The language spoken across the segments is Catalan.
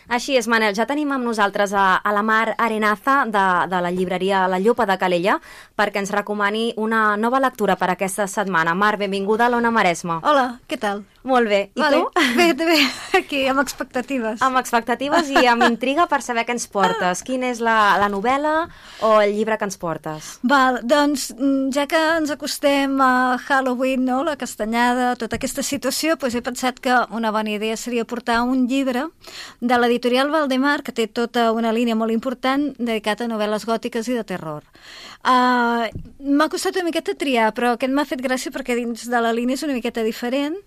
Així és, Manel, ja tenim amb nosaltres a la Mar Arenaza de la llibreria La Llopa de Calella perquè ens recomani una nova lectura per aquesta setmana. Mar, benvinguda a l'Ona Maresme. Hola, què tal? Molt bé. I tu? Bé, aquí, amb expectatives. Amb expectatives i amb intriga per saber què ens portes. Quina és la novel·la o el llibre que ens portes? Val, doncs, ja que ens acostem a Halloween, no?, la castanyada, tota aquesta situació, doncs he pensat que una bona idea seria portar un llibre de l'editorial Valdemar, que té tota una línia molt important dedicat a novel·les gòtiques i de terror. M'ha costat una miqueta triar, però aquest m'ha fet gràcia perquè dins de la línia és una miqueta diferent.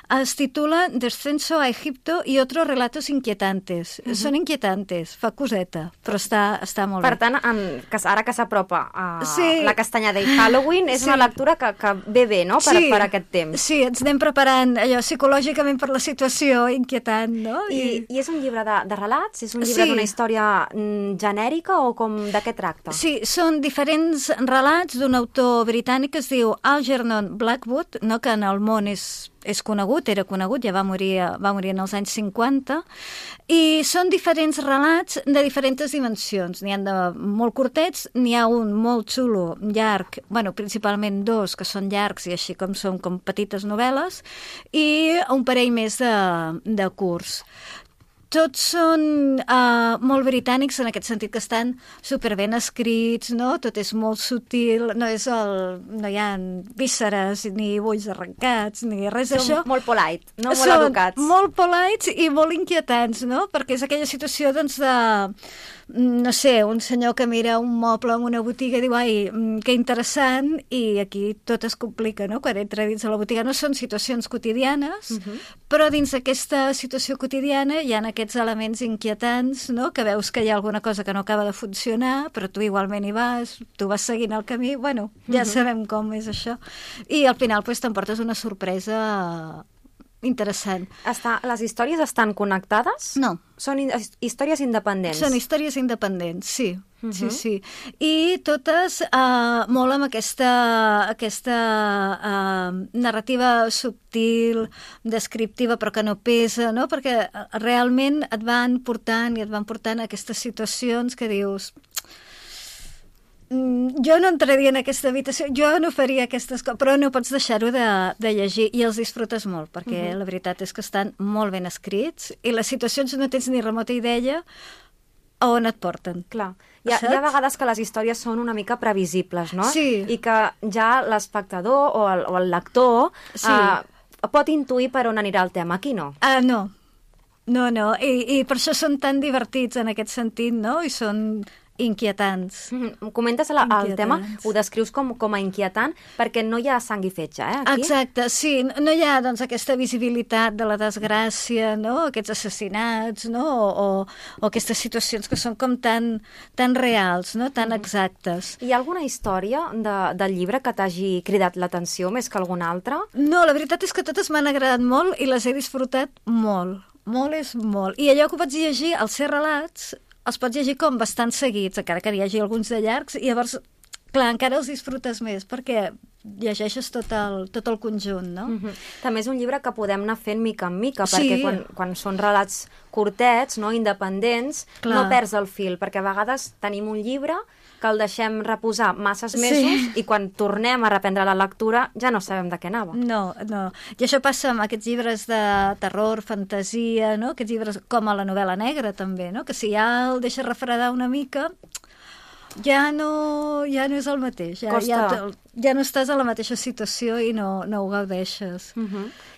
Es titula Descenso a Egipto y otros relatos inquietantes. Són inquietantes, fa coseta, però està molt bé. Per tant, ara que s'apropa a la castanyada i Halloween, és una lectura que ve bé, no?, per aquest temps. Sí, ens anem preparant allò psicològicament per la situació inquietant, no? I és un llibre de relats? És un llibre d'una història genèrica o de què tracta? Sí, són diferents relats d'un autor britànic que es diu Algernon Blackwood, no?, que en el món és conegut, era conegut, ja va morir en els anys 50, i són diferents relats de diferents dimensions. N'hi ha de molt curtets, n'hi ha un molt xulo, llarg, principalment dos, que són llargs i així com són com petites novel·les, i un parell més de curts. Tots són molt britànics en aquest sentit que estan superben escrits, no? Tot és molt sutil, no hi ha vísceres ni ulls arrencats ni res d'això. Són molt polite, no? Molt educats. Són molt polite i molt inquietants, no? Perquè és aquella situació, doncs, no sé, un senyor que mira un moble en una botiga i diu, ai, que interessant, i aquí tot es complica, no?, quan entra dins de la botiga. No són situacions quotidianes, però dins d'aquesta situació quotidiana hi ha aquests elements inquietants, no?, que veus que hi ha alguna cosa que no acaba de funcionar, però tu igualment hi vas, tu vas seguint el camí, ja sabem com és això. I al final t'emportes una sorpresa interessant. Les històries estan connectades? No. Són històries independents? Són històries independents, sí. Sí. I totes molt amb aquesta narrativa subtil, descriptiva, però que no pesa, no? Perquè realment et van portant a aquestes situacions que dius... Jo no entraria en aquesta habitació, jo no faria aquestes coses, però no pots deixar-ho de llegir i els disfrutes molt, perquè la veritat és que estan molt ben escrits i les situacions no tens ni remota idea a on et porten. Clar. Hi ha vegades que les històries són una mica previsibles, no? Sí. I que ja l'espectador o el lector pot intuir per on anirà el tema. Aquí no. No. I per això són tan divertits en aquest sentit, no? I són inquietants. Comentes el tema, ho descrius com a inquietant perquè no hi ha sang i fetge, aquí? Exacte, sí, no hi ha doncs aquesta visibilitat de la desgràcia, no?, aquests assassinats, no?, o aquestes situacions que són com tan reals, no?, tan exactes. Hi ha alguna història del llibre que t'hagi cridat l'atenció més que alguna altra? No, la veritat és que totes m'han agradat molt i les he disfrutat molt. Molt és molt. I allò que vaig llegir, els ser relats, els pots llegir com bastant seguits, encara que hi hagi alguns de llargs, i llavors, clar, encara els disfrutes més, perquè llegeixes tot el conjunt, no? També és un llibre que podem anar fent mica en mica, perquè quan són relats curtets, no, independents, no perds el fil, perquè a vegades tenim un llibre que el deixem reposar masses mesos i quan tornem a reprendre la lectura ja no sabem de què anava. No. I això passa amb aquests llibres de terror, fantasia, no? Aquests llibres com a la novel·la negra, també, no? Que si ja el deixes refredar una mica, ja no és el mateix. Ja no estàs a la mateixa situació i no ho gaudeixes.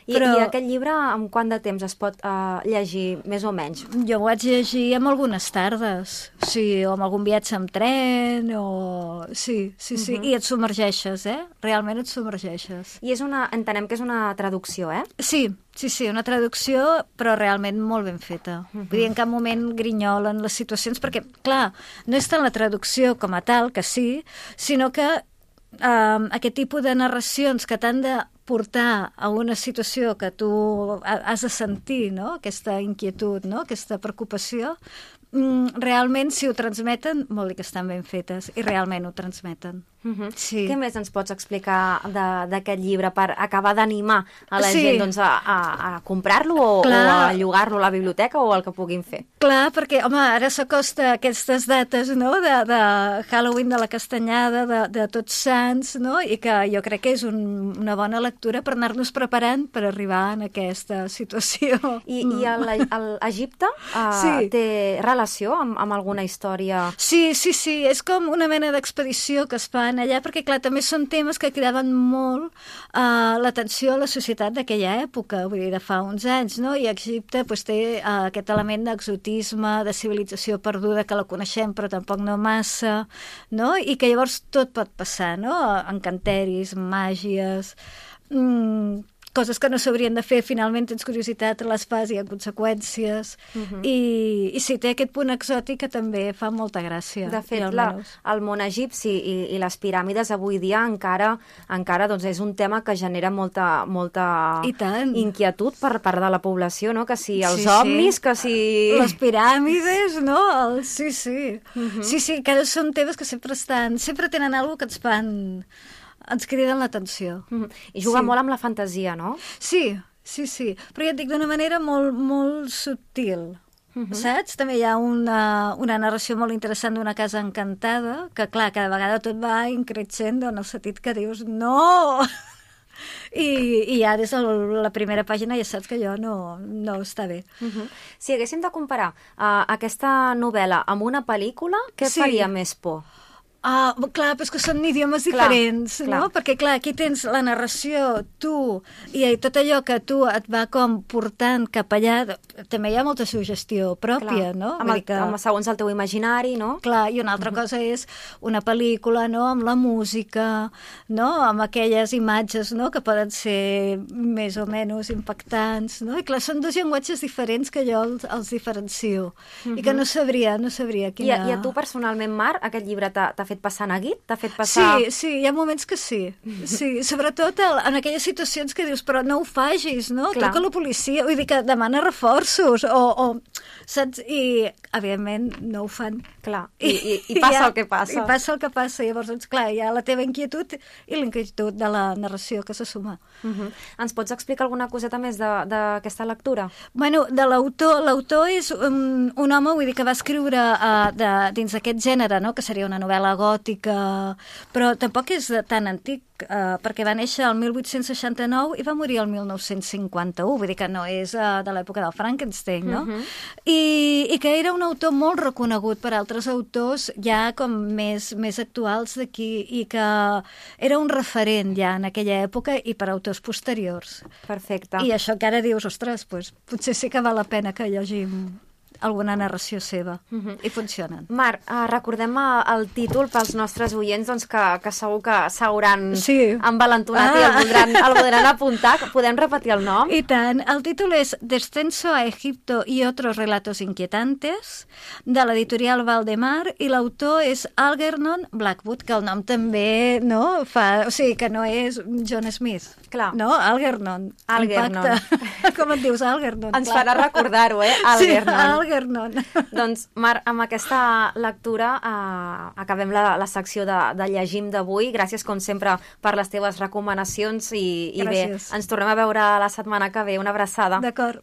I aquest llibre, amb quant de temps es pot llegir, més o menys? Jo ho vaig llegir amb algunes tardes, sí, o amb algun viatge amb tren, o... Sí, i et submergeixes, Realment et submergeixes. I entenem que és una traducció, Sí, una traducció, però realment molt ben feta. Vull dir, en cap moment grinyolen les situacions, perquè, clar, no és tant la traducció com a tal, que sí, sinó que aquest tipus de narracions que t'han de portar a una situació que tu has de sentir, no?, aquesta inquietud, no?, aquesta preocupació, realment, si ho transmeten, vol dir que estan ben fetes, i realment ho transmeten. Sí. Què més ens pots explicar d'aquest llibre per acabar d'animar a la gent doncs, a comprar-lo o a llogar-lo a la biblioteca o el que puguin fer? Clar, perquè, home, ara s'acosta aquestes dates, no?, de Halloween, de la Castanyada, de Tots Sants, no?, i que jo crec que és una bona lectura per anar-nos preparant per arribar en aquesta situació. I l'Egipte té relació amb alguna història? Sí, és com una mena d'expedició que es fan allà, perquè, clar, també són temes que cridaven molt l'atenció a la societat d'aquella època, vull dir, de fa uns anys, no?, i Egipte doncs, té aquest element d'exotisme, de civilització perduda, que la coneixem però tampoc no massa, no?, i que llavors tot pot passar, no?, encanteris, màgies, coses que no s'haurien de fer, finalment tens curiositat, les fas i hi ha conseqüències, i sí, té aquest punt exòtic que també fa molta gràcia. De fet, el món egipci i les piràmides avui dia encara doncs, és un tema que genera molta inquietud per part de la població, no?, que si els ovnis, que si... Les piràmides, no? Sí, que són temes que sempre tenen alguna cosa que ens fan... ens criden l'atenció. I juga molt amb la fantasia, no? Sí. Però ja et dic, d'una manera molt, molt subtil. Saps? També hi ha una narració molt interessant d'una casa encantada, que, clar, cada vegada tot va increixendo en el sentit que dius, no! I ja des de la primera pàgina ja saps que allò no està bé. Si haguéssim de comparar aquesta novel·la amb una pel·lícula, què faria més por? Clar, però és que són idiomes diferents, no? Perquè, clar, aquí tens la narració, tu, i tot allò que tu et va com portant cap allà, també hi ha molta suggestió pròpia, no? Segons el teu imaginari, no? Clar, i una altra cosa és una pel·lícula, no?, amb la música, no?, amb aquelles imatges, no?, que poden ser més o menys impactants, no? I clar, són dos llenguatges diferents que jo els diferencio, i que no sabria quina... I a tu personalment, Mar, aquest llibre t'ha fet passar neguit? T'ha fet passar... Sí, hi ha moments que sí. Sí, sobretot en aquelles situacions que dius, però no ho facis, no? Truca a la policia, vull dir que demana reforços, saps? I, evidentment, no ho fan. Clar, i passa el que passa. I passa el que passa, llavors, doncs, clar, hi ha la teva inquietud i l'inquietud de la narració que se suma. Ens pots explicar alguna coseta més d'aquesta lectura? Bueno, de l'autor és un home, vull dir, que va escriure dins d'aquest gènere, no?, que seria una novel·la gòtica, però tampoc és tan antic, perquè va néixer el 1869 i va morir el 1951, vull dir que no és de l'època del Frankenstein, no? I que era un autor molt reconegut per altres autors ja com més actuals d'aquí, i que era un referent ja en aquella època i per autors posteriors. Perfecte. I això que ara dius, ostres, doncs, potser sí que val la pena que llegim alguna narració seva, i funcionen. Mar, recordem el títol pels nostres oients, doncs, que segur que s'hauran envalentonat i el podran apuntar. Podem repetir el nom? I tant. El títol és Descenso a Egipto y otros relatos inquietantes, de l'editorial Valdemar, i l'autor és Algernon Blackwood, que el nom també, no?, fa... O sigui, que no és John Smith. Clar. No? Algernon. Impacte. Com et dius, Algernon? Ens farà recordar-ho, Algernon. Sí, Algernon. Doncs, Mar, amb aquesta lectura acabem la secció de llegim d'avui. Gràcies, com sempre, per les teves recomanacions i bé, ens tornem a veure la setmana que ve. Una abraçada. D'acord.